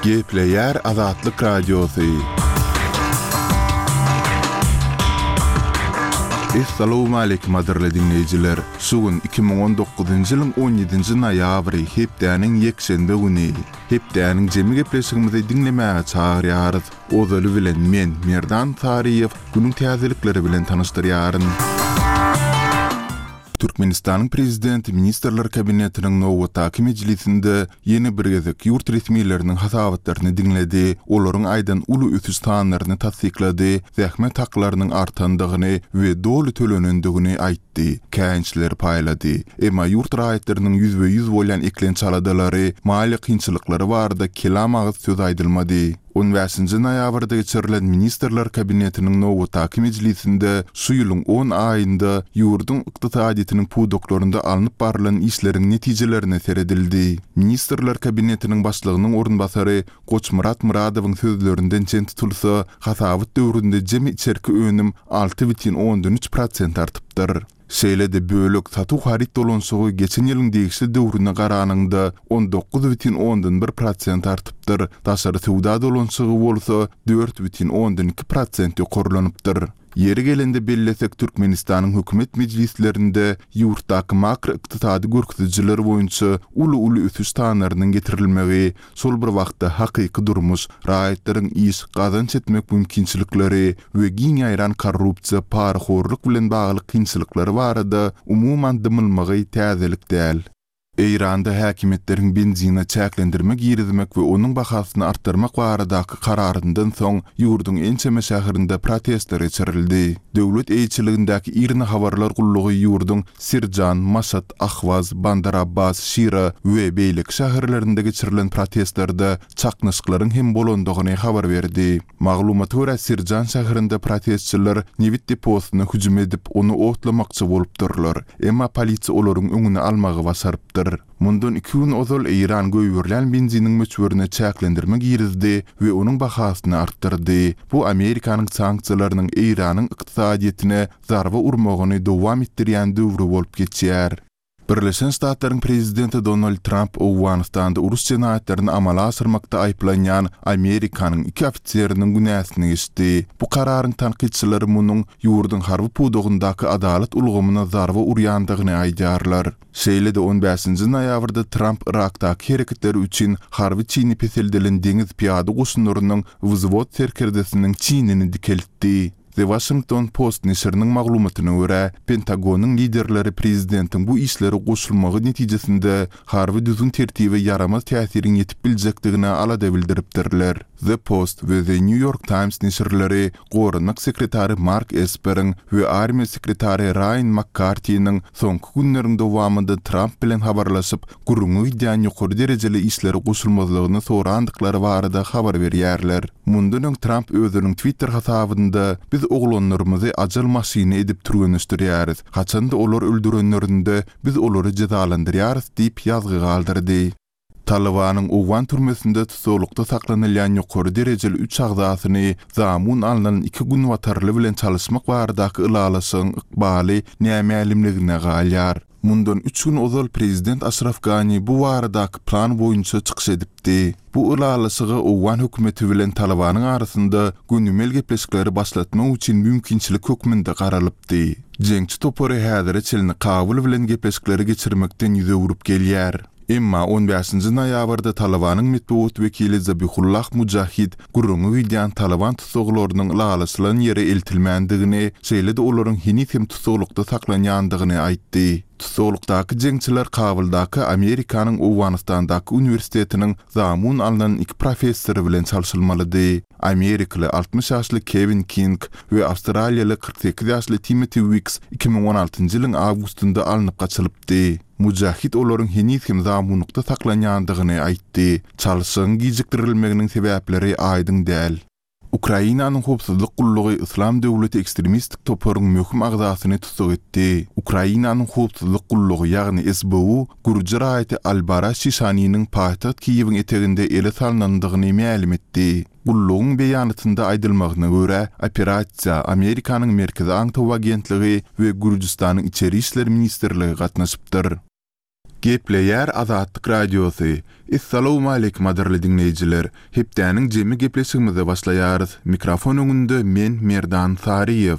Gepleýär Azatlyk Radiosy. Essalawmaleýkim gadyrly diňleýjiler! Şu gün 2019-njy ýylyň on ýedinji noýabry, hepdäniň ýekşenbe güni. Hepdäniň jemi gepleşigimizi diňlemäge çagyrýarys. Ozaly bilen men, Merdan Saryýew, günüň täzelikleri bilen tanyşdyrýaryn. Türkmenistanyň Prezidenti Ministrler Kabinetiniň nobatdaky mejlisinde ýene bir gezek ýurt resmileriniň hasabatlaryny diňledi, olaryň aýdan uly ösüş sanlaryny tassyklady, zähmet haklarynyň artandygyny we doly tölenendigini aýtdy, käýinçleri paýlady. Emma ýurt raýatlarynyň ýüzbe-ýüz bolýan eklenç aladalary, maliýe kynçylyklary barada kelam agyz söz aýdylmady. On bäşinji noýabrda geçirilen Ministrler Kabinetiniň nobatdaky mejlisinde şu ýylyň on aýynda ýurduň ykdysadyýetiniň pudaklarynda alnyp barlan işleriň netijelerine seredildi. Ministrler Kabinetiniň Başlygynyň orunbasary Goçmyrat Myradowyň sözlerinden çen tutulsa, hasabat döwründe jemi içerki önüm 6,3 prosent artypdyr. Şeýle-de bölek satuw haryt dolanyşygy geçen ýylyň degişli döwrüne garanyňda 19,1 prosent artypdyr, daşary söwda dolanyşygy bolsa 4,2 prosent ýokarlanypdyr. Ýeri gelende bellesek, Türkmenistanyň hökümet mejlislerinde ýurtdaky makroykdysady görkezijiler boýunça uly-uly ösüş sanlarynyň getirilmegi, Şol bir wagtda hakyky durmuş, raýatlaryň iş, gazanç etmek mümkinçilikleri we giň ýaýran korrupsiýa, parahorluk bilen bagly kynçylyklary barada umuman dymylmagy täzelik däl. Eýranda häkimiýetleriň benzine çäklendirme girizmek we onuň bahasyny artdyrmak baradaky kararyndan soň ýurduň ençeme şäherinde protestler geçirildi. Döwlet eýeçiligindäki IRNA habarlar gullugy ýurduň Sirjan, Maşat, Ahwaz, Bandar Abbas, Şira we beýleki şäherlerinde geçirilen protestlerde çaknyşyklaryň hem bolandygyny habar berdi. Maglumata görä, Sirjan şäherinde protestçiler nebit deposyna hüjüm edip, ony otlamakçy bolupdyrlar. Emma polisiýa olaryň öňüni almagy başarypdyr. Mundan iki gün ozal Eýran goýberilýän benziniň möçberine çäklendirme girizdi we onuň bahasyny artdyrdy. Bu Amerikanyň sanksiýalarynyň Eýranyň ykdysadyýetine zarba urmagyny dowam etdirýän döwri bolup geçýär. Birleşen Ştatlaryň prezidenti Donald Tramp Owganystanda uruş jenaýatlaryny amala aşyrmakda aýyplanýan Amerikanyň iki ofiseriniň günäsini geçdi. Bu kararyň tankytçylary munuň ýurduň harby pudagyndaky adalat ulgamyna zarba urýandygyny aýdýarlar. Şeýle-de on bäşinji noýabrda Tramp Yrakdaky hereketleri üçin harby çini peseldilen deňiz pyýada goşunlarynyň wzwod serkerdesiniň çinini dikeltdi. The Washington Post neşiriniň maglumatyna görä, Pentagonyň liderleri prezidentiň bu işlere goşulmagy netijesinde harby düzgün-tertibe ýaramaz täsiriň ýetip biljekdigine alada bildiripdirler. The Post we The New York Times neşirleri goranmak sekretary Mark Esperiň we armiýa sekretary Raýan Makkartiniň soňky günleriň dowamynda Tramp bilen habarlaşyp, gürrüňi gidýän ýokary derejeli işlere goşulmazlygyny sorandyklary barada habar berýärler. Mundan öň Tramp özüniň Twitter hasabynda, Biz oglanlarymyzy ajal maşyny edip türgenleşdirýäris. Haçan-da olar öldürenlerinde, biz olary jezalandyrýarys diýip ýazgy galdyrdy. Talybanyň owgan türmesinde tussaglykda saklanylýan ýokary derejeli üç agzasyny zamun alnan iki günbatarly bilen çalyşmak baradaky ylalaşygyň ykbaly nämälimligine galýar. Mundan üç gün ozal prezident Aşraf Gani bu baradaky plan boýunça çykyş edipdi. Bu ylalaşyga owgan hökümeti bilen Talybanyň arasynda gönümel gepleşikleri başlatmak üçin mümkinçilik hökmünde garalypdy. Jeňçi topary häzire çenli Kabul bilen gepleşikleri geçirmekden ýüz öwrüp gelýär. Emma on bäşinji noýabrda Talybanyň metbugat wekili Zabihullah Mujahid gürrüňi gidýän Talyban tussaglarynyň ylalaşylan ýere eltilmändigini, şeýle-de olaryň heniz hem tussaglykda saklanýandygyny aýtdy. Tussaglykdaky jeňçiler Kabuldaky Amerikanyň Owganystandaky uniwersitetiniň zamun alnan iki professory bilen çalşylmalydy. Amerikaly 60 ýaşly Kewin King we awstraliýaly 48 ýaşly Timoti Wiks 2016-njy ýylyň awgustynda alnyp gaçylypdy. Mujahid olaryň heniz hem zamunlykda saklanýandygyny aýtdy. Çalşygyň gijikdirilmeginiň sebäpleri aýdyň däl. Ukrainanyň howpsuzlyk gullugy Yslam döwleti ekstremistik toparyň möhüm agzasyny tussag etdi. Ukrainanyň howpsuzlyk gullugy, ýagny SBU gürji raýaty Albara Şişaniniň paýtagt Kiýewiň eteginde ele salnandygyny mälim etdi. Gullugyň beýanatynda aýdylmagyna görä, operasiýa Amerikanyň Merkezi aňtaw agentligi we Gürjüstanyň Içeri işler ministrligi gatnaşypdyr. Gepleýär Azatlyk Radiosy, Essalawmaleýkim gadyrly diňleýjiler! Hepdäniň jemi gepleşigimize başlaýarys. Mikrofon öňünde men Merdan Saryýew.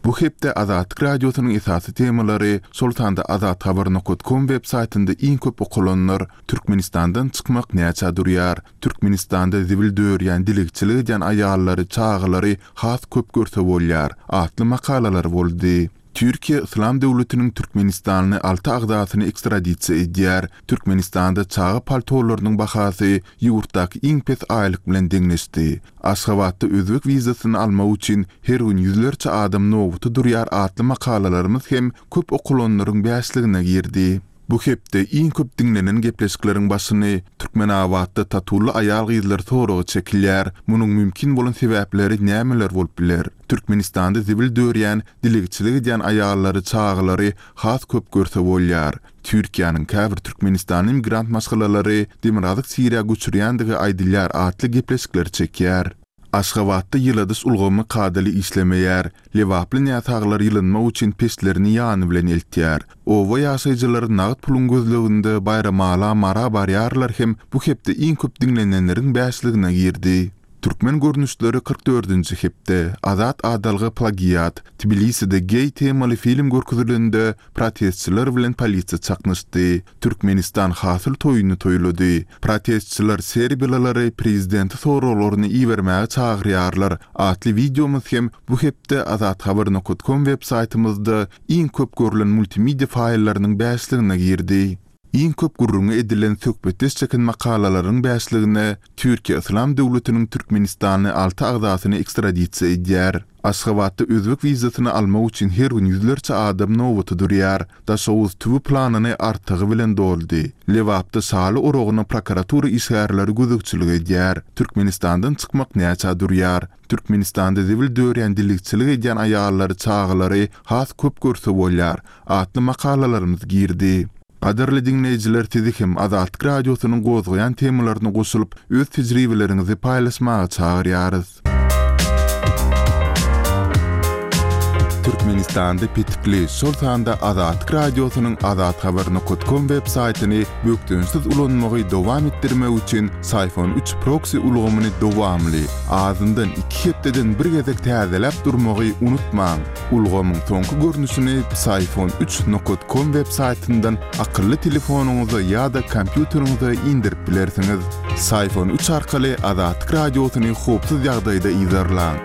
Bu hepde Azatlyk Radiosynyň esasy temalary, şol sanda azathabar nokat kom web saýtynda iň köp okalanlar, Türkmenistandan çykmak näçä durýar, Türkmenistanda zibil dörýän dilegçilik edýän aýallary, çagalary has köp görse bolýar atly makalalar boldy. Türkiýe Yslam döwletiniň türkmenistanly alty agzasyny ekstradisiýa edýär. Türkmenistanda çaga paltolarynyň bahasy ýurtdaky iň pes aýlyk bilen deňleşdi. Aşgabatda özbek wizasyny almak üçin her gün ýüzlerçe adam nobata durýar atly makalalarymyz hem köp okalanlaryň bäşligine girdi. Bu hepde iň köp diňlenen gepleşikleriň başyny Türkmenabatda tatuly aýal-gyzlar soraga çekilýär. Munuň mümkin bolan sebäpleri nämeler bolup biler? Türkmenistanda zibil dörýän, dilegçilik edýän aýallary, çagalary has köp görse bolýar. Türkiýäniň käbir türkmenistanly migrant maşgalalary Demirgazyk Siriýa göçürýändigi aýdylýar atly gepleşikleri çekýär. Aşgabatda ýyladyş ulgamy kadaly işlemeýär. Lebaply näsaglar ýylynmak üçin peçlerini ýany bilen eltýär. Oba ýaşaýjylary nagt puluň gözleginde Baýramala, Mara barýarlar hem bu hepde iň köp diňlenenleriň bäşligine girdi. Türkmen görnüşleri 44-nji hepde, Azat adalga plagiat, Tbiliside geý temaly film görkezilende protestçiler bilen polisiýa çaknyşdy. Türkmenistan hasyl toýuny toýlady. Protestçiler serbiýalylary prezidente soraglaryny ibermäge çagyrýarlar atly wideomyz hem bu hepde azathabar nokat kom web saýtymyzda iň köp görlen multimedia faýllarynyň bäşligine girdi. Iň köp gürrüňi edilen söhbetdeş çeken makalalaryň bäşligine Türkiýe Yslam döwletiniň türkmenistanly alty agzasyny ekstradisiýa edýär. Aşgabatda özbek wizasyny almak üçin her gün ýüzlerçe adam nobata durýar. Daşoguz tüwi planyny artygy bilen doldy. Lebapda şaly oragyna prokuratura işgärleri gözegçilik edýär. Türkmenistandan çykmak näçä durýar? Türkmenistanda zibil dörýän dilegçilik edýän aýallary, çagalary has köp görse bolýar atly makalalarymyz girdi. Gadyrly diňleýjiler sizi hem Azatlyk Radiosynyň gozgaýan temalaryna goşulyp, öz tejribeleriňizi paýlaşmaga çagyrýarys. Türkmenistanda petikli, şol sanda Azatlyk Radiosynyň azathabar nokat kom web saýtyny bökdençsiz ulanmagy dowam etdirmek üçin Syfon üç proksi ulgamyny dowamly, azyndan iki hepdeden bir gezek täzeläp durmagy unutmaň! Ulgamyň soňky görnüşini Psiphon üç nokat kom web saýtyndan akylly telefonyňyza ýa-da kompýuteriňize indirip bilersiňiz. Psiphon üç arkaly Azatlyk Radiosyny howpsuz ýagdaýda yzarlaň.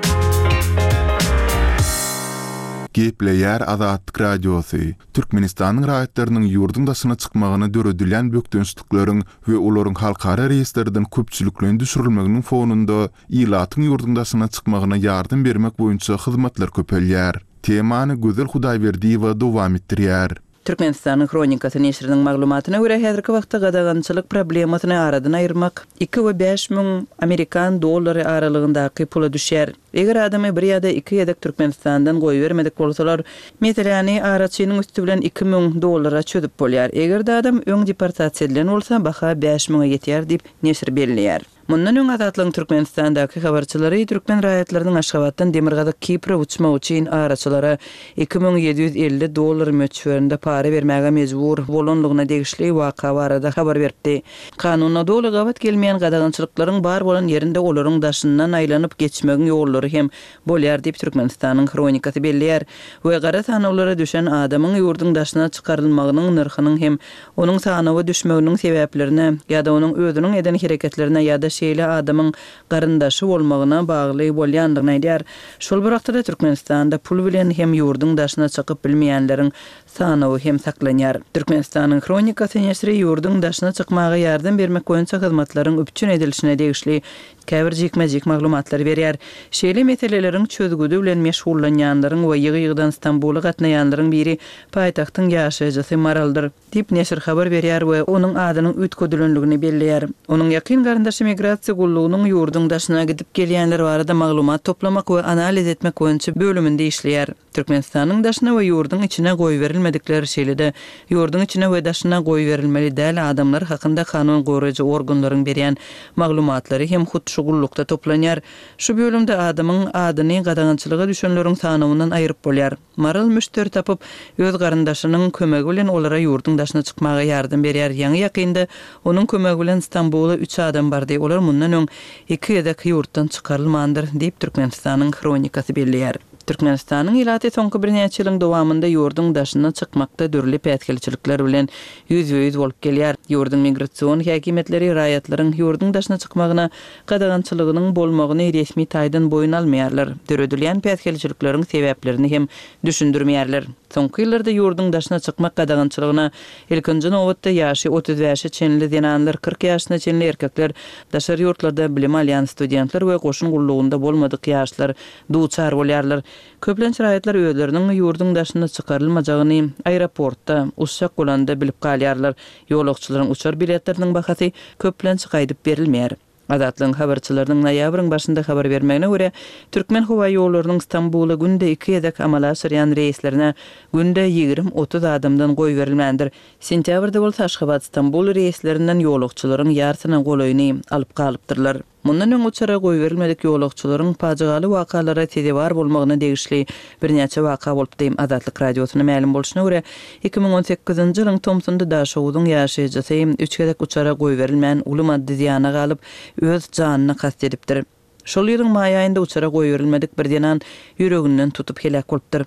Gepleýär Azatlyk Radiosy, Türkmenistanyň raýatlarynyň ýurduň daşyna çykmagyna döredilýän bökdençlikleriň we olaryň halkara reýestrden köpçülikleýin düşürilmeginiň fonunda Ilatyň ýurduň daşyna çykmagyna ýardam bermek boýunça hyzmatlar köpelýär. Temany Gözel Hudaýberdiýewa dowam etdirýär. Türkmenistanyň Hronikasy neşiriniň maglumatyna görä, häzirki wagtda gadagançylyk problemasyny aradan aýyrmak iki we 5000 amerikan dollary aralygyndaky pula düşýär. Eger adamy bir ýa-da iki gezek Türkmenistandan goýbermedik bolsalar, meseläni araçynyň üsti bilen 2000 dollara çözüp bolýar. Eger-de adam öň deportasiýa edilen bolsa, baha bäş müňe ýetýär diýip, neşir belleýär. Mundan öň Azatlygyň Türkmenistandaky habarçylary türkmen raýatlarynyň Aşgabatdan Demirgazyk Kipre uçmak üçin araçylara 2750 dollar möçberinde para bermäge mejbur bolandygyna degişli waka barada habar beripdi. Kanuna doly gabat gelmeýän gadagançylyklaryň bar bolan ýerinde olaryň daşyndan aýlanyp geçmegiň ýollary hem bolýar diýip, Türkmenistanyň Hronikasy belleýär we gara sanawlara düşen adamyň ýurduň daşyna çykarylmagynyň nyrhynyň hem onuň sanawa düşmeginiň sebäplerine ýa-da onuň özüniň eden hereketlerine ýa-da şeýle adamyň garyndaşy bolmagyna bagly bolýandygyny aýdýar. Şol bir wagtda-da Türkmenistanda pul bilen hem ýurduň daşyna çykyp bilmeýänleriň sanawy hem saklanýar. Türkmenistanyň Hronikasy neşiri ýurduň daşyna çykmaga ýardam bermek boýunça hyzmatlaryň üpjün edilişine degişli käbir jikme-jik maglumatlary berýär. Şeýle meseleleriň çözgüdi bilen meşgullanýanlaryň we ýygy-ýygydan Stambula gatnaýanlaryň biri paýtagtyň ýaşaýjysy Maraldyr, diýip, neşir habar berýär we onuň adynyň üýtgedilendigini belleýär. Onuň ýakyn garyndaşy migrasiýa. Migrasiýa gullugynyň ýurduň daşyna gidip gelýänler barada maglumat toplamak we analiz etmek boýunça bölüminde işleýär. Türkmenistanyň daşyna we ýurduň içine goýberilmedikler, şeýle-de ýurduň içine we daşyna goýberilmeli däl adamlar hakynda kanun goraýjy organlaryň berýän maglumatlary hem hut şu gullukda toplanýar. Şu bölümde adamyň adyny gadagançylyga düşenleriň sanawyndan aýryp bolýar. Maral müşderi tapyp, öz garyndaşynyň kömegi bilen olara ýurduň daşyna çykmaga ýardam berýär. Ýaňy-ýakynda onuň kömegi bilen Stambula üç adam bardy. Olar mundan öň iki gezek ýurtdan çykarylmandyr, diýip, Türkmenistanyň Hronikasy belleýär. Türkmenistanyň ilaty soňky birnäçe ýylyň dowamynda ýurduň daşyna çykmakda dürli päsgelçilikler bilen ýüzbe-ýüz bolup gelýär. Ýurduň migrasion häkimiýetleri raýatlaryň ýurduň daşyna çykmagyna gadagançylygynyň bolmagyny resmi taýdan boýun almaýarlar, döredilýän päsgelçilikleriň sebäplerini hem düşündirmeýärler. Soňky ýyllarda ýurduň daşyna çykmak gadagançylygyna ilkinji nobatda ýaşy 35-e çenli zenanlar, 40 ýaşyna çenli erkekler, daşary ýurtlarda bilim alýan studentler we goşun gullugynda bolmadyk ýaşlar duçar bolýarlar. Köplenç raýatlar özleriniň ýurduň daşyna çykarylmajagyny aeroportda, uçjak bolanda bilip galýarlar. Ýolagçylaryň uçar biletleriniň bahasy köplenç gaýdyp berilmeýär. Azatlygyň habarçylarynyň noýabryň başynda habar bermegine görä, Türkmenhowaýollarynyň Stambula günde iki gezek amala aşyrýan reýslerine günde 20-30 adamdan goýberilmändir. Sentýabrda bolsa Aşgabat-Stambul reýslerinden ýolagçylaryň ýarsyna golaýyny alyp galypdyrlar. Mundan öň uçara goýberilmedik ýolagçylaryň pajygaly wakalara sezewar bolmagyna degişli birnäçe waka bolupdy. Azatlyk Radiosyna mälim bolşuna görä, 2018-nji ýylyň tomsunda Daşoguzyň ýaşaýjysy üç gezek uçara goýberilmän, uly maddy zyýana galyp, öz janyna kast edipdir. Şol ýylyň maý aýynda uçara goýberilmedik bir zenan ýüreginden tutup heläk bolupdyr.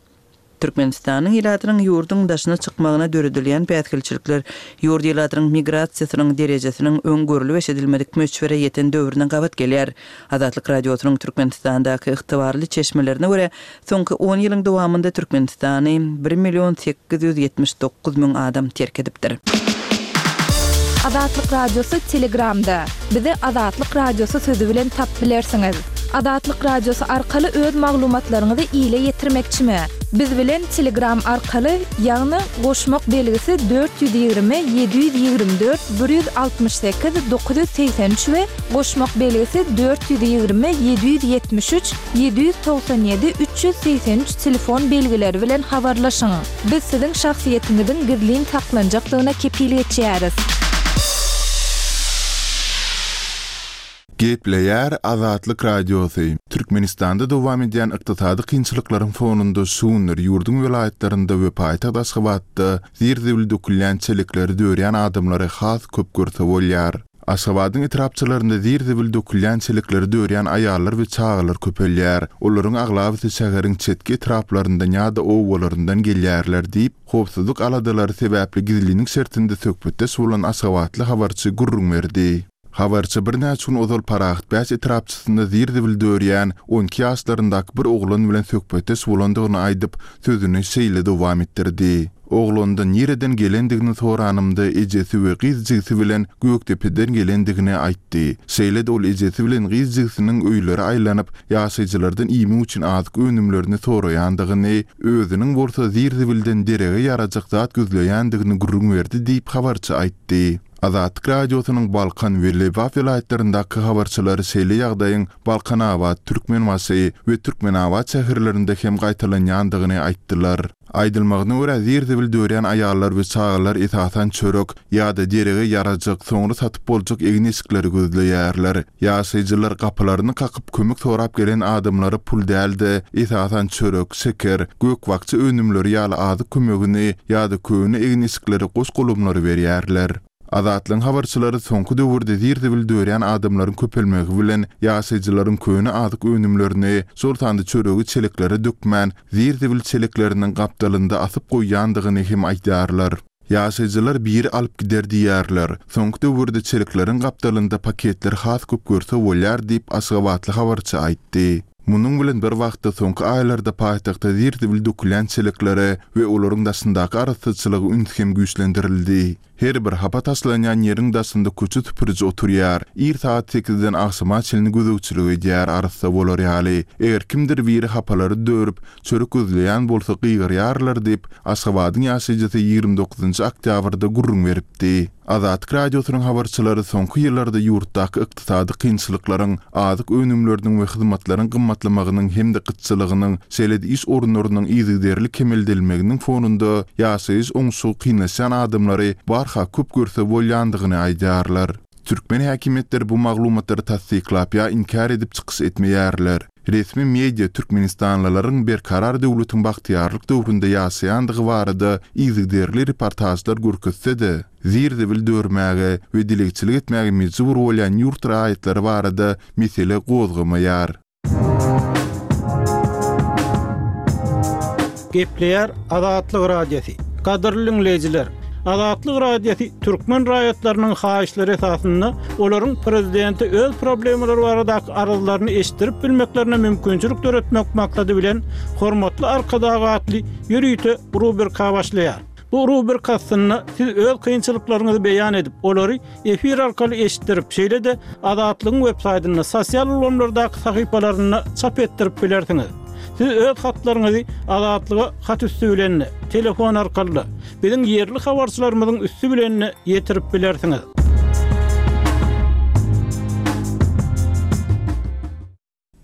Türkmenistanyň ilatynyň ýurduň daşyna çykmagyna döredilýän päsgelçilikler ýurt ilatynyň migrasiýasynyň derejesiniň öň görlüp-eşidilmedik möçbere ýeten döwrüne gabat gelýär. Azatlyk Radiosynyň Türkmenistandaky ygtybarly çeşmelerine görä, soňky on ýylyň dowamynda Türkmenistany bir million 879 müň adam terk edipdir. Azatlyk Radiosy Telegramda. Bizi Azatlyk Radiosy sözi bilen tapyp bilersiňiz. Azatlyk Radiosy arkaly öz maglumatlaryňyzy ile ýetirmekçimi? Biz bilen Telegram arkaly, ýagny goşmak belgisi 420 724 168 983 we goşmak belgisi 420 773 797 383 telefon belgileri bilen habarlaşyň. Biz siziň şahsyýetiňiziň gizlin saklanjakdygyna kepil geçýäris. Gepleýär Azatlyk Radiosy, Türkmenistanda dowam edýän ykdysady kynçylyklaryň fonunda şu günler ýurduň welaýatlarynda we paýtagt Aşgabatda zir-zibil dökülýän çelekleri dörýän adamlary has köp görse bolýar. Aşgabadyň etrapçalarynda zir-zibil dökülýän çelekleri dörýän aýallar we çagalar köpelýär. Olaryň aglabasy şäheriň çetki etraplaryndan ýa-da obalaryndan gelýärler diýip, howpsuzlyk aladalary sebäpli gizlinlik şertinde söhbetdeş bolan aşgabatly habarçy gürrüň berdi. Habarçy birnäçe gün ozal Parahatbäş etrapçasynda zir-zibil dörýän 12 ýaşlaryndaky bir oglan bilen söhbetdeş bolandygyny aýdyp, sözüni şeýle dowam etdirdi. Oglandan nireden gelendigini soranymda ejesi we gyz jigsi bilen Gökdepeden gelendigini aýtdy. Şeýle-de ol ejesi bilen gyz jigsiniň öýlere aýlanyp, ýaşaýjylardan iýmek üçin azyk önümlerini soraýandygyny, özüniň bolsa zir-zibilden derege ýarajak zat gözleýändigini gürrüň berdi diýip, habarçy aýtdy. Azatlyk Radiosynyň Balkan we Lebap welaýatlaryndaky habarçylary şeýle ýagdaýyň Balkanabat, Türkmenbaşy we Türkmenabat şäherlerinde hem gaýtalanýandygyny aýtdylar. Aýdylmagyna görä, zir-zibil dörýän aýallar we çagalar esasan çörek ýa-da derege ýarajak, soňra satyp boljak egin-eşikleri gözleýärler. Ýaşaýjylar gapylaryny kakyp kömek sorap gelen adamlara pul däl-de, esasan çörek, şeker, gök-bakja önümleri ýaly azyk kömegini ýa-da köne egin-eşikleri goş-golamlary berýärler. Azatlygyň habarçylary soňky döwürde zir-zibil dörýän adamlaryň köpelmegi bilen, ýaşaýjylaryň köne azyk önümlerini, şol sanda çöregi çeleklere dökmän, zir-zibil çelekleriniň gapdalynda asyp goýýandygyny hem aýdýarlar. Ýaşaýjylar biri alyp gider diýýärler. Soňky döwürde çelekleriň gapdalynda paketleri has köp görse bolýar diýip, aşgabatly habarçy aýtdy. Munuň bilen bir wagtda, soňky aýlarda paýtagtda zir-zibil dökülýän çeleklere we olaryň daşyndaky arassaçylyga üns hem güýçlendirildi. Her bir hapa taşlanýan ýeriň daşynda köçe süpüriji oturýar. Ir sagat sekizden agşama çenli gözegçilik edýär arassa bolar ýaly. Eger kimdir biri hapalary dörüp, çörek gözleýän bolsa gygyrýarlar diýip, Aşgabadyň ýaşaýjysy 29 oktýabrda gürrüň beripdi. Azatlyk Radiosynyň habarçylary soňky ýyllarda ýurtdaky ykdysady kynçylyklaryň, azyk önümleriniň we hyzmatlaryň gymmatlamagynyň hem-de gytçylygynyň, şeýle-de iş orunlarynyň yzygiderli kemeldilmeginiň fonunda ýaşaýyş oňşugy kynlaşýan adamlary barha köp görse bolýandygyny aýdýarlar. Türkmen häkimiýetleri bu maglumatlary tassyklap ýa inkär edip çykyş etmeýärler. Resmi media türkmenistanlylaryň Berkarar döwletiň bagtyýarlyk döwründe ýaşaýandygy barada yzygiderli reportažlar görkezse-de, zir-zibil dörmäge we dilegçilik etmäge mejbur bolýan ýurt raýatlary barada mesele gozgamaýar. Gepleýär Azatlyk Radiosy. Gadyrly diňleýjiler! Azatlyk Radiosy türkmen raýatlarynyň haýyşlary esasynda olaryň prezidente öz problemalary baradaky arzlaryny eşitdirip bilmeklerine mümkinçilik döretmek maksady bilen Hormatly Arkadag atly ýörite rubrika başlaýar. Bu rubrika astynda siz öz kynçylyklaryňyzy beýan edip, olary efir arkaly eşitdirip, şeýle-de Azatlygyň websaýtynda, sosial ulgamlardaky sahypalarynda çap etdirip bilersiňiz. Siz öz hatlaryňyzy Azatlyga hat üsti bilen-de, telefon arkaly-da, biziň ýerli habarçylarymyzyň üsti bilen-de ýetirip bilersiňiz.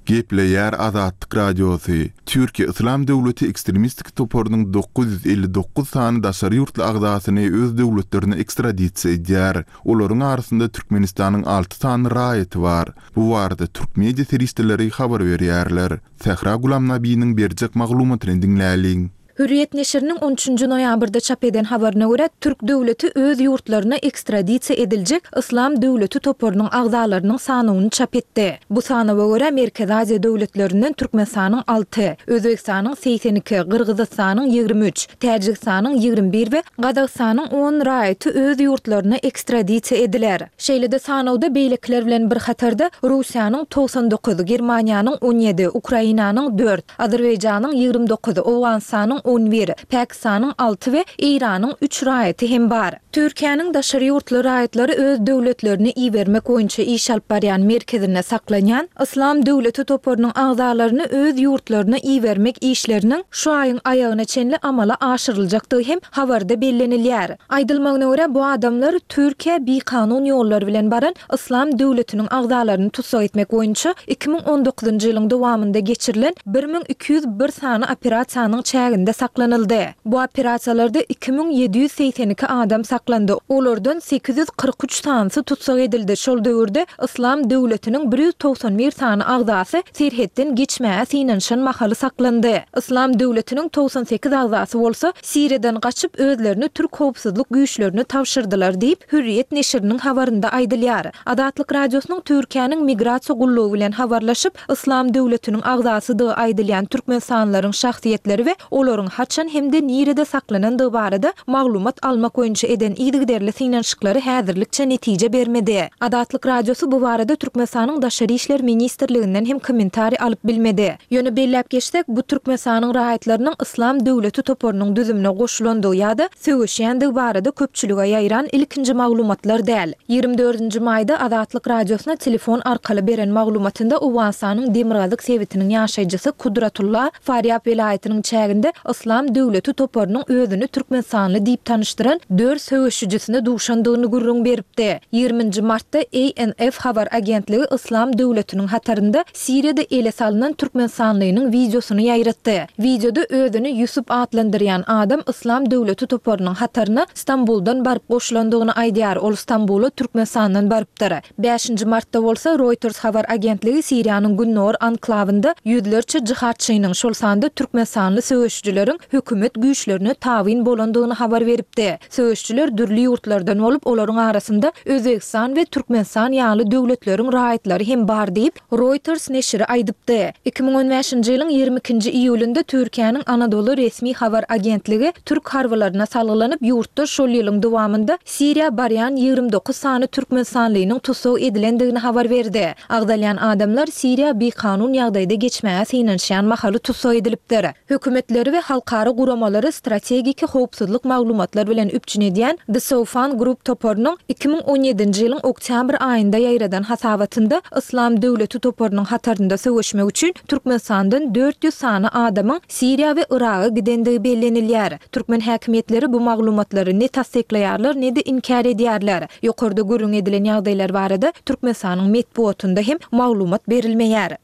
Gepleýär Azatlyk Radiosy, Türkiýe Yslam döwleti ekstremistik toparynyň 959 sany daşary ýurtly agzasyny öz döwletlerine ekstradisiýa edýär. Olaryň arasynda Türkmenistanyň alty sany raýaty bar. Bu barada türk media serişdeleri habar berýärler. Sähra Gulamnabiniň berjek maglumatyny diňläliň. Hürriýet neşiriniň on üçünji noýabrda çap eden habaryna görä, türk döwleti öz ýurtlaryna ekstradisiýa ediljek Yslam döwleti toparynyň agzalarynyň sanawyny çap etdi. Bu sanawa görä, Merkezi Aziýa döwletlerinden Türkmenistanyň alty, Özbegistanyň 82, Gyrgyzystanyň 23, Täjigistanyň 21 we Gazagystanyň on raýaty öz ýurtlaryna ekstradisiýa ediler. Şeýle-de sanawda beýlekiler bilen bir hatarda Russiýanyň 99, Germaniýanyň 17, Ukrainanyň dört, Azerbaýjanyň 29, Owganystanyň 11, Pakistanyň alty we Eýranyň üç raýaty hem bar. Türkiýäniň daşary ýurtly raýatlary öz döwletlerine ibermek boýunça iş alyp barýan merkezinde saklanýan Yslam döwleti toparynyň agzalaryny öz ýurtlaryna ibermek işleriniň şu aýyň aýagyna çenli amala aşyryljakdygy hem habarda bellenilýär. Aýdylmagyna görä, bu adamlar Türkiýä bikanun ýollar bilen baran Yslam döwletiniň agzalaryny tussag etmek boýunça 2019-njy ýylyň dowamynda geçirilen 1201 sany operasiýanyň çäginde saklanyldy. Bu operasiýalarda 2782 adam saklandy, olardan 843 sanysy tussag edildi, şol döwürde Yslam döwletiniň 191 sany agzasy serhetden geçmäge synanyşan mahaly saklandy. Yslam döwletiniň 98 agzasy bolsa Siriýadan gaçyp, özlerini türk howpsuzlyk güýçlerine tabşyrdylar diýip, Hürriýet neşiriniň habarynda aýdylýar. Azatlyk Radiosynyň Türkiýäniň Migrasiýa gullugy bilen habarlaşyp, Yslam döwletiniň agzasydygy aýdylýan türkmenistanlylaryň şahsyýetleri we olaryň haçan hem-de nirede saklanandygy barada maglumat almak boýunça eden yzygiderli synanyşyklary häzirlikçe netije bermedi. Azatlyk Radiosy bu barada Türkmenistanyň Daşary işler ministrliginden hem kommentariý alyp bilmedi. Ýöne belläp geçsek, bu Türkmenistanyň raýatlarynyň Yslam döwleti toparynyň düzümine goşulandygy ýa-da söweşýändigi barada köpçülige ýaýran ilkinji maglumatlar däl. 24 nji maýda Azatlyk Radiosyna telefon arkaly beren maglumatynda Owganystanyň demirgazyk sebitiniň ýaşaýjysy Kudratulla Farýab welaýatynyň çäginde Yslam döwleti toparynyň özüni türkmenistanly diýip tanyşdyran dört söweşijisine duşandygyny gürrüň beripdi. 20 nji martda ANF habar agentligi Yslam döwletiniň hatarynda Siriýada ele salnan türkmenistanlynyň wideosyny ýaýratdy. Wideoda özüni Ýusup atlandyrýan adam Yslam döwleti toparynyň hataryna Stambuldan baryp goşulandygyny aýdýar, ol Stambula Türkmenistandan barypdyr. Bäşinji martda bolsa Reuters habar agentligi Siriýanyň gündogar anklawynda ýüzlerçe jihadçynyň, şol sanda türkmenistanly söweşijileriň hökümet güýçlerine tabyn bolandygyny habar beripdi. Söweşijiler dürli ýurtlardan bolup, olaryň arasynda Özbegistan we Türkmenistan ýaly döwletleriň raýatlary hem bar diýip, Reuters neşiri aýdypdy. 2015-nji ýylyň 22-nji iýulynda Türkiýäniň Anadolu resmi habar agentligi türk harbylaryna salgylanyp, ýurtda şol ýylyň dowamynda Siriýa barýan 29 sany türkmenistanlynyň tussag edilendigini habar berdi. Agzalýan adamlar Siriýa bikanun ýagdaýda geçmäge synanyşýan mahaly tussag edilipdir. Hökümetleri we. Halkara guramalary strategik howpsuzlyk maglumatlar bilen üpjün edýän The Soufan Group toparynyň 2017-nji ýylyň oktýabr aýynda ýaýradan hasabatynda Yslam döwleti toparynyň hatarynda söweşmek üçin Türkmenistandan 400 sany adamyň Siriýa we Yraga gidendigi bellenilýär. Türkmen häkimiýetleri bu maglumatlary ne tassyklaýarlar, ne-de inkär edýärler. Ýokarda gürrüň edilen ýagdaýlar barada Türkmenistanyň metbugatynda hem maglumat berilmeýär.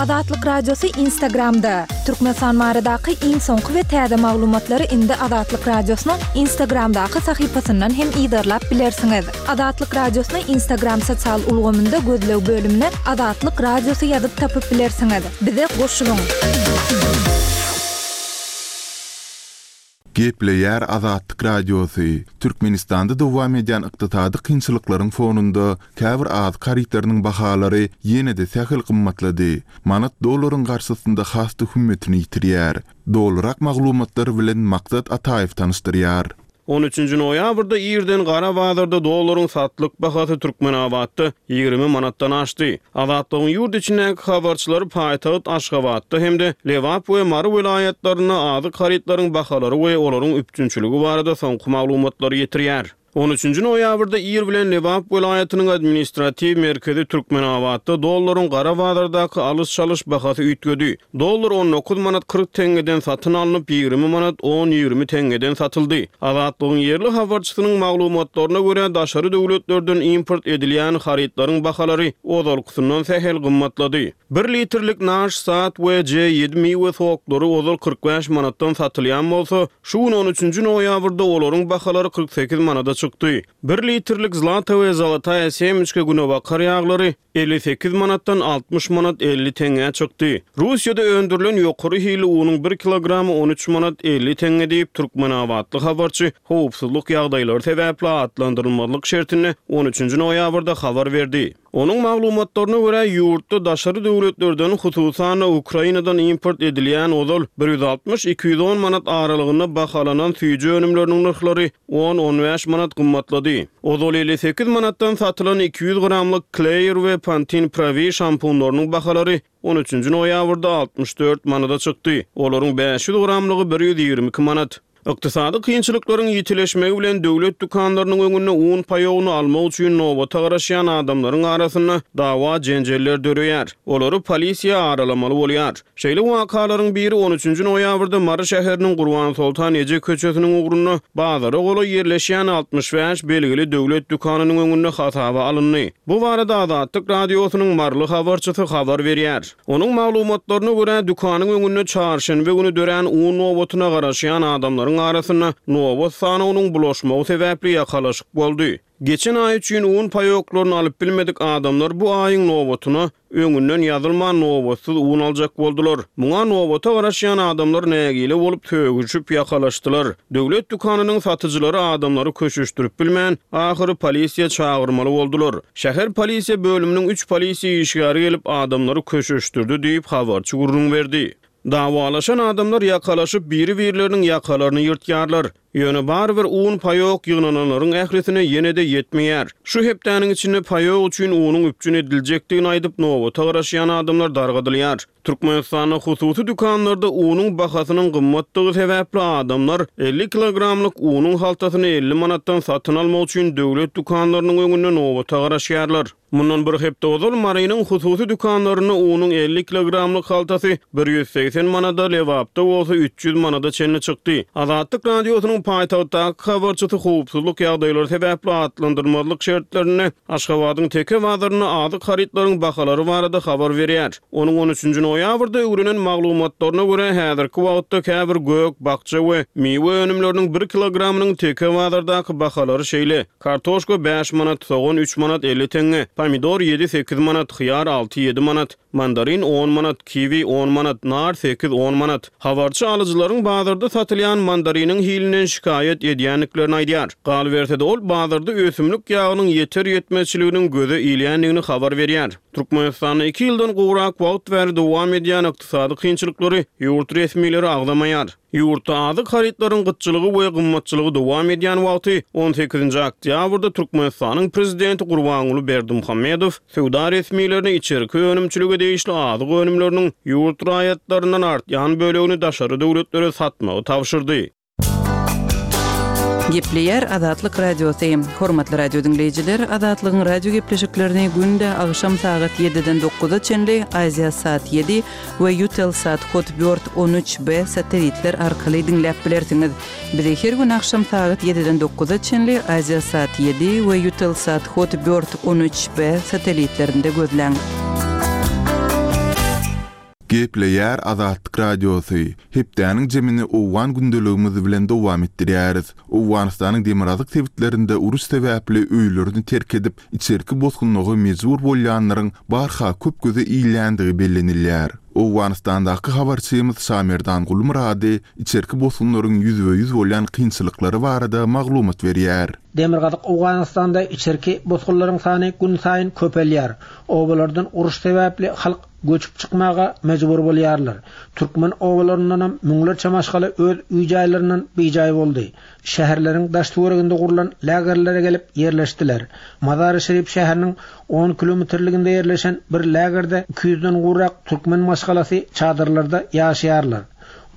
Azatlyk Radiosy Instagramda! Türkmenistan baradaky iň soňky we täze maglumatlary indi Azatlyk Radiosynyň Instagramdaky sahypasyndan hem yzarlap bilersiňiz. Azatlyk Radiosyny Instagram sosial ulgamynda gözleg bölümine Azatlyk Radiosy ýazyp tapyp bilersiňiz. Bize goşulyň! Gepleýär Azatlyk Radiosy, Türkmenistanda dowam edýän ykdysady kynçylyklaryň fonunda käbir azyk harytlarynyň bahalary ýene-de sähel gymmatlady. Manat dollaryň garşysynda has-da hümmetini ýitirýär. Dolurak maglumatlar bilen Maksat Ataýew tanyşdyrýar. On üçünji noýabrda irden gara bazarda dollaryň satlyk bahasy Türkmenabatda 20 manatdan aşdy. Azatlygyň ýurt içindäki habarçylary paýtagt Aşgabatda hem-de Lebap we Mary welaýatlarynda azyk harytlaryň bahalary we olaryň üpjünçiligi barada soňky maglumatlary ýetirýär. On üçünji noýabrda ir bilen Lebap welaýatynyň administratiw merkezi Türkmenabatda dollaryň gara bazardaky alyş-çalyş bahasy üýtgedi. Dollar 19 manat 40 teňňeden satyn alnyp, 20 manat on-ýigrimi teňňeden satyldy. Azatlygyň ýerli habarçysynyň maglumatlaryna görä, daşary döwletlerden import edilýän harytlaryň bahalary ozalkysyndan sähel gymmatlady. Bir litrlik Naş Sat we J-ýedi miwe soklary ozal 45 manatdan satylýan bolsa, şu gün on üçünji noýabrda olaryň bahalary 48 manada çykdy. Bir litrlik Zlata we Zolotaya Semyçka günebakar ýaglary 58 manatdan 60 manat 50 teňňä çykdy. Russiýada öndürilen ýokary hilli unuň bir kilogramy 13 manat 50 teňňe diýip, türkmenabatly habarçy howpsuzlyk ýagdaýlary sebäpli atlandyrylmazlyk şertinde on üçünji noýabrda habar berdi. Onuň maglumatlaryna görä, ýurtda daşary döwletlerden, hususan-da, Ukrainadan import edilýän ozal bir 160, 210 manat aralygynda bahalanan süýji önümleriniň nyrhlary on, on bäş manat gymmatlady. Ozal 58 manatdan satylan 200 gramlyk Clear we Pantene Pro-V şampunlarynyň bahalary on üçünji noýabrda 64 manada çykdy. Olaryň 500 gramlygy bir 122 manat. Ykdysady kynçylyklaryň ýitileşmegi bilen döwlet dükanlarynyň öňünde un paýogyny almak üçin nobata garaşýan adamlaryň arasynda dawa-jenjeller döreýär. Olary polisiýa aralamaly bolýar. Şeýle wakalaryň biri on üçünji noýabrda Mary şäheriniň Gurbansoltan eje köçesiniň ugrunda bazara golaý ýerleşýän 65 belgili döwlet dükanynyň öňünde hasaba alyndy. Bu barada Azatlyk Radiosynyň maryly habarçysy habar berýär. Onuň maglumatlaryna görä, dükanyň öňünde çarşenbe güni dörän un nobatyna garaşýan adamlaryň arasynda nobat sanawynyň bulaşmagy sebäpli ýakalaşyk boldy. Geçen aý üçin un paýoklaryny alyp bilmedik adamlar bu aýyň nobatyna öňünden ýazylman nobatsyz un aljak boldular. Muňa nobata garaşýan adamlar nägile bolup, sögüşip ýakalaşdylar. Döwlet dükanynyň satyjylary adamlary köşeşdirip bilmän, ahyry polisiýa çagyrmaly boldular. Şäher polisiýa bölüminiň üç polisiýa işgäri gelip, adamlary köşeşdirdi diýip, habarçy gürrüň berdi. Dawalaşan adamlar ýakalaşyp, biri-birleriniň ýakalaryny ýyrtýarlar. Ýöne barybir un paýok ýygnananlaryň ählisine ýene-de ýetmeýär. Şu hepdäniň içinde paýok üçin unuň üpjün ediljekdigini aýdyp, nobata garaşýan adamlar dargadylýar. Türkmenistanda hususy dükanlarda unuň bahasynyň gymmatdygy sebäpli adamlar 50 kilogramlyk unuň haltasyny 50 manatdan satyn almak üçin döwlet dükanlarynyň öňünde nobata garaşýarlar. Mundan bir hepde ozal Marynyň hususy dükanlarynda unuň 50 kilogramlyk haltasy 180 manada, Lebapda bolsa 300 manada çenli çykdy. Azatlyk Radiosynyň paýtagtdaky habarçysy howpsuzlyk ýagdaýlary sebäpli atlandyrmazlyk şertlerinde Aşgabadyň Teke bazarynda azyk harytlaryň bahalary barada habar berýär. Onuň on üçünji noýabrda öwrenen maglumatlaryna görä, häzirki wagtda käbir gök, bakja we miwe önümleriniň bir kilogramynyň Teke bazardaky bahalary şeýle, kartoşka bäş manat, sogan üç manat 50 teňňe, pomidor ýedi-sekiz manat, hyýar alty-ýedi manat, mandarin on manat, kiwi on manat, nar sekiz-on manat. Habarçy alyjylaryň bazarda satylýan mandariniň hilinden. şikaýat edýändiklerini aýdýar. Galyberse-de, ol bazarda ösümlik ýagynyň ýeter-ýetmezçiliginiň göze ilýändigini habar berýär. Türkmenistanda iki ýyldan gowrak wagt bäri dowam edýän ykdysady kynçylyklary ýurt resmileri agzamaýar. Ýurtda azyk harytlaryň gytçylygy we gymmatçylygy dowam edýän wagty, on sekizinji oktýabrda Türkmenistanyň prezidenti Gurbanguly Berdimuhamedow söwda resmilerine içerki önümçilige degişli azyk önümleriniň ýurt raýatlaryndan artýan bölegini daşary döwletlere satmagy tabşyrdy. Gepleýär Azatlyk Radiosy. Hormatly radio diňleýjiler, Azatlygyň radio gepleşiklerini günde agşam sagat ýediden dokuza çenli Aziasat ýedi we Eutelsat Hotbird 13 B satelitler arkaly diňläp bilersiňiz. Bizi her gün agşam sagat ýediden dokuza çenli Aziasat ýedi we Eutelsat Hotbird 13 B satelitlerinde gözläň. Gepleýär Azatlyk Radiosy, Hepdäniň jemini owgan gündeligimiz bilen dowam etdirýäris. Owganystanyň demirgazyk sebitlerinde uruş sebäpli öýlerini terk edip, içerki bosgunlyga mejbur bolýanlaryň barha köp göze ilýändigi bellenilýär. Owganystandaky habarçymyz Şamerdan Gulmyrady içerki bosgunlaryň ýüzbe-ýüz bolýan kynçylyklary barada maglumat berýär. Demirgazyk Owganystanda içerki bosgunlaryň sany günsaýyn köpelýär. Obalardan uruş sebäpli halk göçüp çykmaga mejbur bolýarlar. Türkmen obalaryndanam müňlerçe maşgala öz öý-jaýlaryndan bijaý boldy. Şäherleriň daş-töwereginde gurlan lagerlere gelip ýerleşdiler. Mazary-Şerif şäheriniň on kilometrliginde ýerleşen bir lagerde iki ýüzden gowrak türkmen maşgalasy çadyrlarda ýaşaýarlar.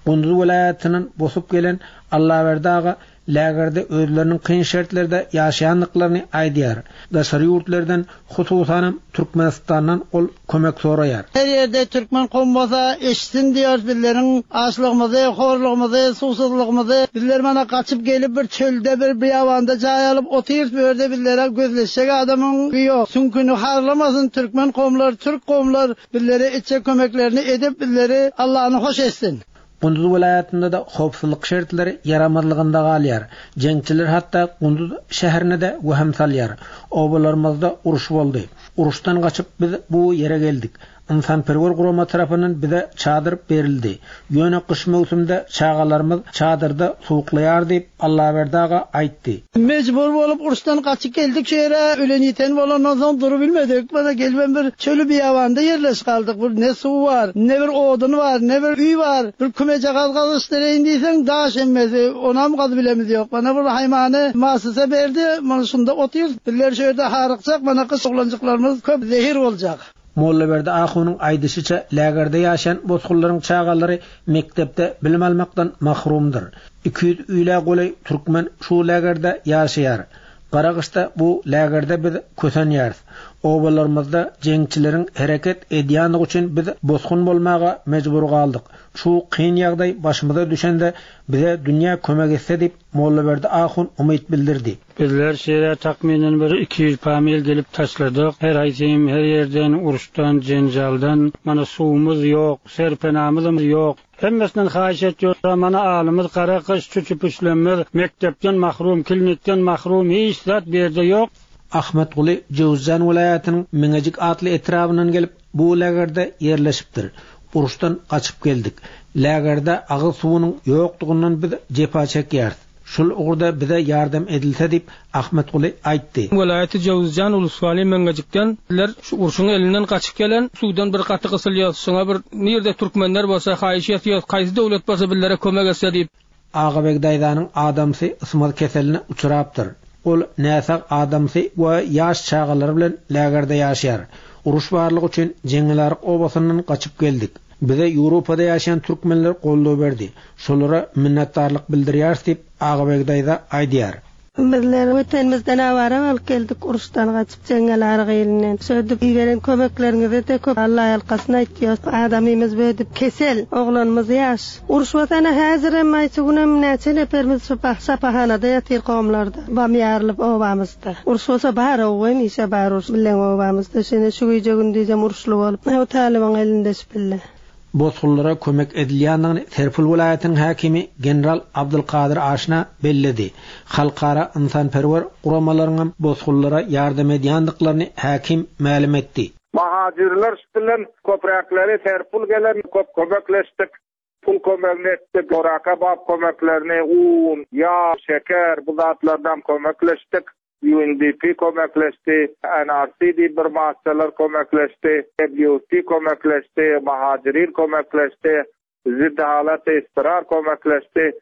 Gunduz welaýatyndan bosup gelen Allaberdi aga lagerde özleriniň kyn şertlerde ýaşaýandyklaryny aýdýar. Daşary ýurtlardan, hususanam Türkmenistandan ol kömek soraýar. Her ýerde türkmen kowum bolsa eşitsin diýýäris bizleriň açlygymyzy, horlugymyzy, suwsuzlygymyzy. Bizler mana gaçyp gelip bir çölde bir beýabanda jaý alyp otyrys bu ýerde bizlere gözleşjek adamyň ýok. Süňküni harlamasyn türkmen kowumlar, türk kowumlar bizlere etjek kömeklerini edip bizleri Allany hoş etsin. Gunduz welaýatynda-da howpsuzlyk şertleri ýaramazlygynda galýar. Jeňçiler hatda Gunduz şäherine-de wehim salýar. Obalarymyzda uruş boldy. Uruşdan gaçyp biz bu ýere geldik. Ynsanperwer gurama tarapyndan bize çadyr berildi. Ýöne gyş möwsümde çagalarymyz çadyrda sowuklaýar diýip, Allaberdi aga aýtdy. Mejbur bolup uruşdan gaçyp geldik şu ýere, ölen-ýiten bolandan soň durubilmedik. Mana gelibem bir çöli-beýabanda ýerleşip galdyk. Bir ne suw bar, ne bir odun bar, ne bir öý bar. Bir kümejagaz gazyşdyraýyn diýseň, daş hemmesi, onam gazybilemiz ýok. Mana bir haýmany masysa berdi, mana şunda otyrys. Bizler şu ýerde harykjak, mana gyş oglanjyklarymyz köp zehir boljak. Mollaberdi ahunyň aýdyşyça, lägerde ýaşaýan bosgunlaryň çagalary mekdepde bilim almakdan mahrumdyr. 200 ýüle golaý türkmen şu lägerde ýaşaýar. Gara gyşda bu lägerde biz kösenýäris. Obalarymyzda jeňçileriň hereket edýändigi üçin biz bosgun bolmaga mejbur galdyk. Şu kyn ýagdaý başymyza düşende bize dünýä kömek etse diýip, Mollaberdi ahun umyt bildirdi. Bizler şeýle takmynan bir 200 pamil gelip taşladyk. Her haýsym her ýerden, uruşdan, jenjaldan. Mana suwumyz ýok, serpenamyzam ýok. Hemmesinden haýyş etýär, mana alymyz gara gyş, çüçi-püçlemmiz, mekdepden mahrum, klinikden mahrum, hiç zat bu ýerde ýok. Ahmetguly Jöwüzjan welaýatynyň Meňejik atly etrabyndan gelip, bu lägerde ýerleşipdir. Uruşdan gaçyp geldik. Lägerde agyz suwunyň ýokdugyndan biz jepa çekýäris. Şul ugurda bize ýardam edilse diýip, Ahmetguly aýtdy. Welaýaty Jöwüzjan Uluswaly Meňňejikden bizler şu urşuň elinden gaçyp gelen suwdan bir gaty gysylýas şuňa bir nirde türkmenler bolsa haýyş etýos kaýsy döwlet bolsa bizlere kömek etse diýip. Agabeg daýzanyň adamsy ysmaz keseline uçrapdyr. Ol näsag adamsy we ýaş çagalary bilen lägerde ýaşaýar. Uruş barlygy üçin Jeňňelaryk obasyndan gaçyp geldik. Bize Ýewropada ýaşaýan türkmenler goldaw berdi. Şolara minnetdarlyk bildirýäris diýip, Agabeg daýza aýdýar. Bizler Wetenimizden awara bolup geldik uruşdan gaçyp Jeňňelaryk ilinden. Şödüp iberen kömekleriňize-de köp Allaýalkasyn aýtýos. Adamymyz bödüp kesel, oglanymyz ýaş. Uruş bolsana häzirem aýçy günem näçe neperimiz şu şapahanada ýatyr gomlarda. Bam ýarylyp obamyzda. Uruş bolsa bar ow hemişe bar uruş bileň obamyzda. Şeýle şu gije gündizem uruşly bolup. O talybyň elinde şu pille. Bosgunlara kömek edilýändigini Serpil welaýatynyň häkimi general Abdulkadyr Aşna belledi. Halkara ynsanperwer guramalaryňam bosgunlara ýardam edýändiklerini häkim mälim etdi. Mahajyrlar bilen köpräkleri Serpil gelen köp kömekleşdik. Pul kömegini etdik, oraka bap kömeklerini, un, ýag, şeker bu zatlardan kömekleşdik. UNDP kömekleşdi, NRC diýip bir massalar kömekleşdi, WFP kömekleşdi, Mahajirin kömekleşdi, Ziddi halat istirar kömekleşdi.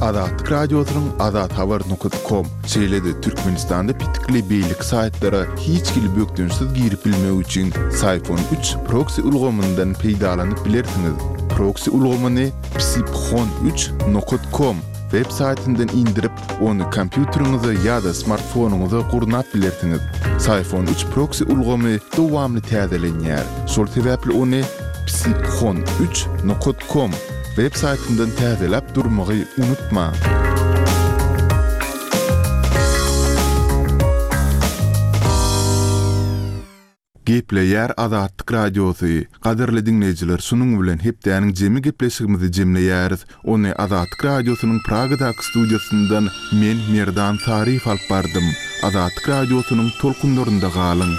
Azatlyk Radiosynyň azathabar nokat kom, şeýle-de Türkmenistanda petikli beýleki saýtlara hiç hili bökdençsiz girip bilmek üçin Syphon üç proksi ulgamyndan peýdalanyp bilersiňiz. Proksi ulgamyny psiphon üç nokat kom web saýtyndan indirip, ony kompýuteriňize ýa-da smartfonyňyza gurnap bilersiňiz. Syphon üç proksi ulgamy dowamly täzelenýär. Şol sebäpli ony psiphon üç nokat kom web saýtyndan täzeläp durmagy unutmaň. Gepleýär Azatlyk Radiosy. Gadyrly diňleýjiler şunuň bilen hepdäniň jemi gepleşigimizi jemleýäris. Ony Azatlyk Radiosynyň Pragadaky studiýasyndan men Merdan Saryýew alyp bardym. Azatlyk Radiosynyň tolkunlarynda galyň.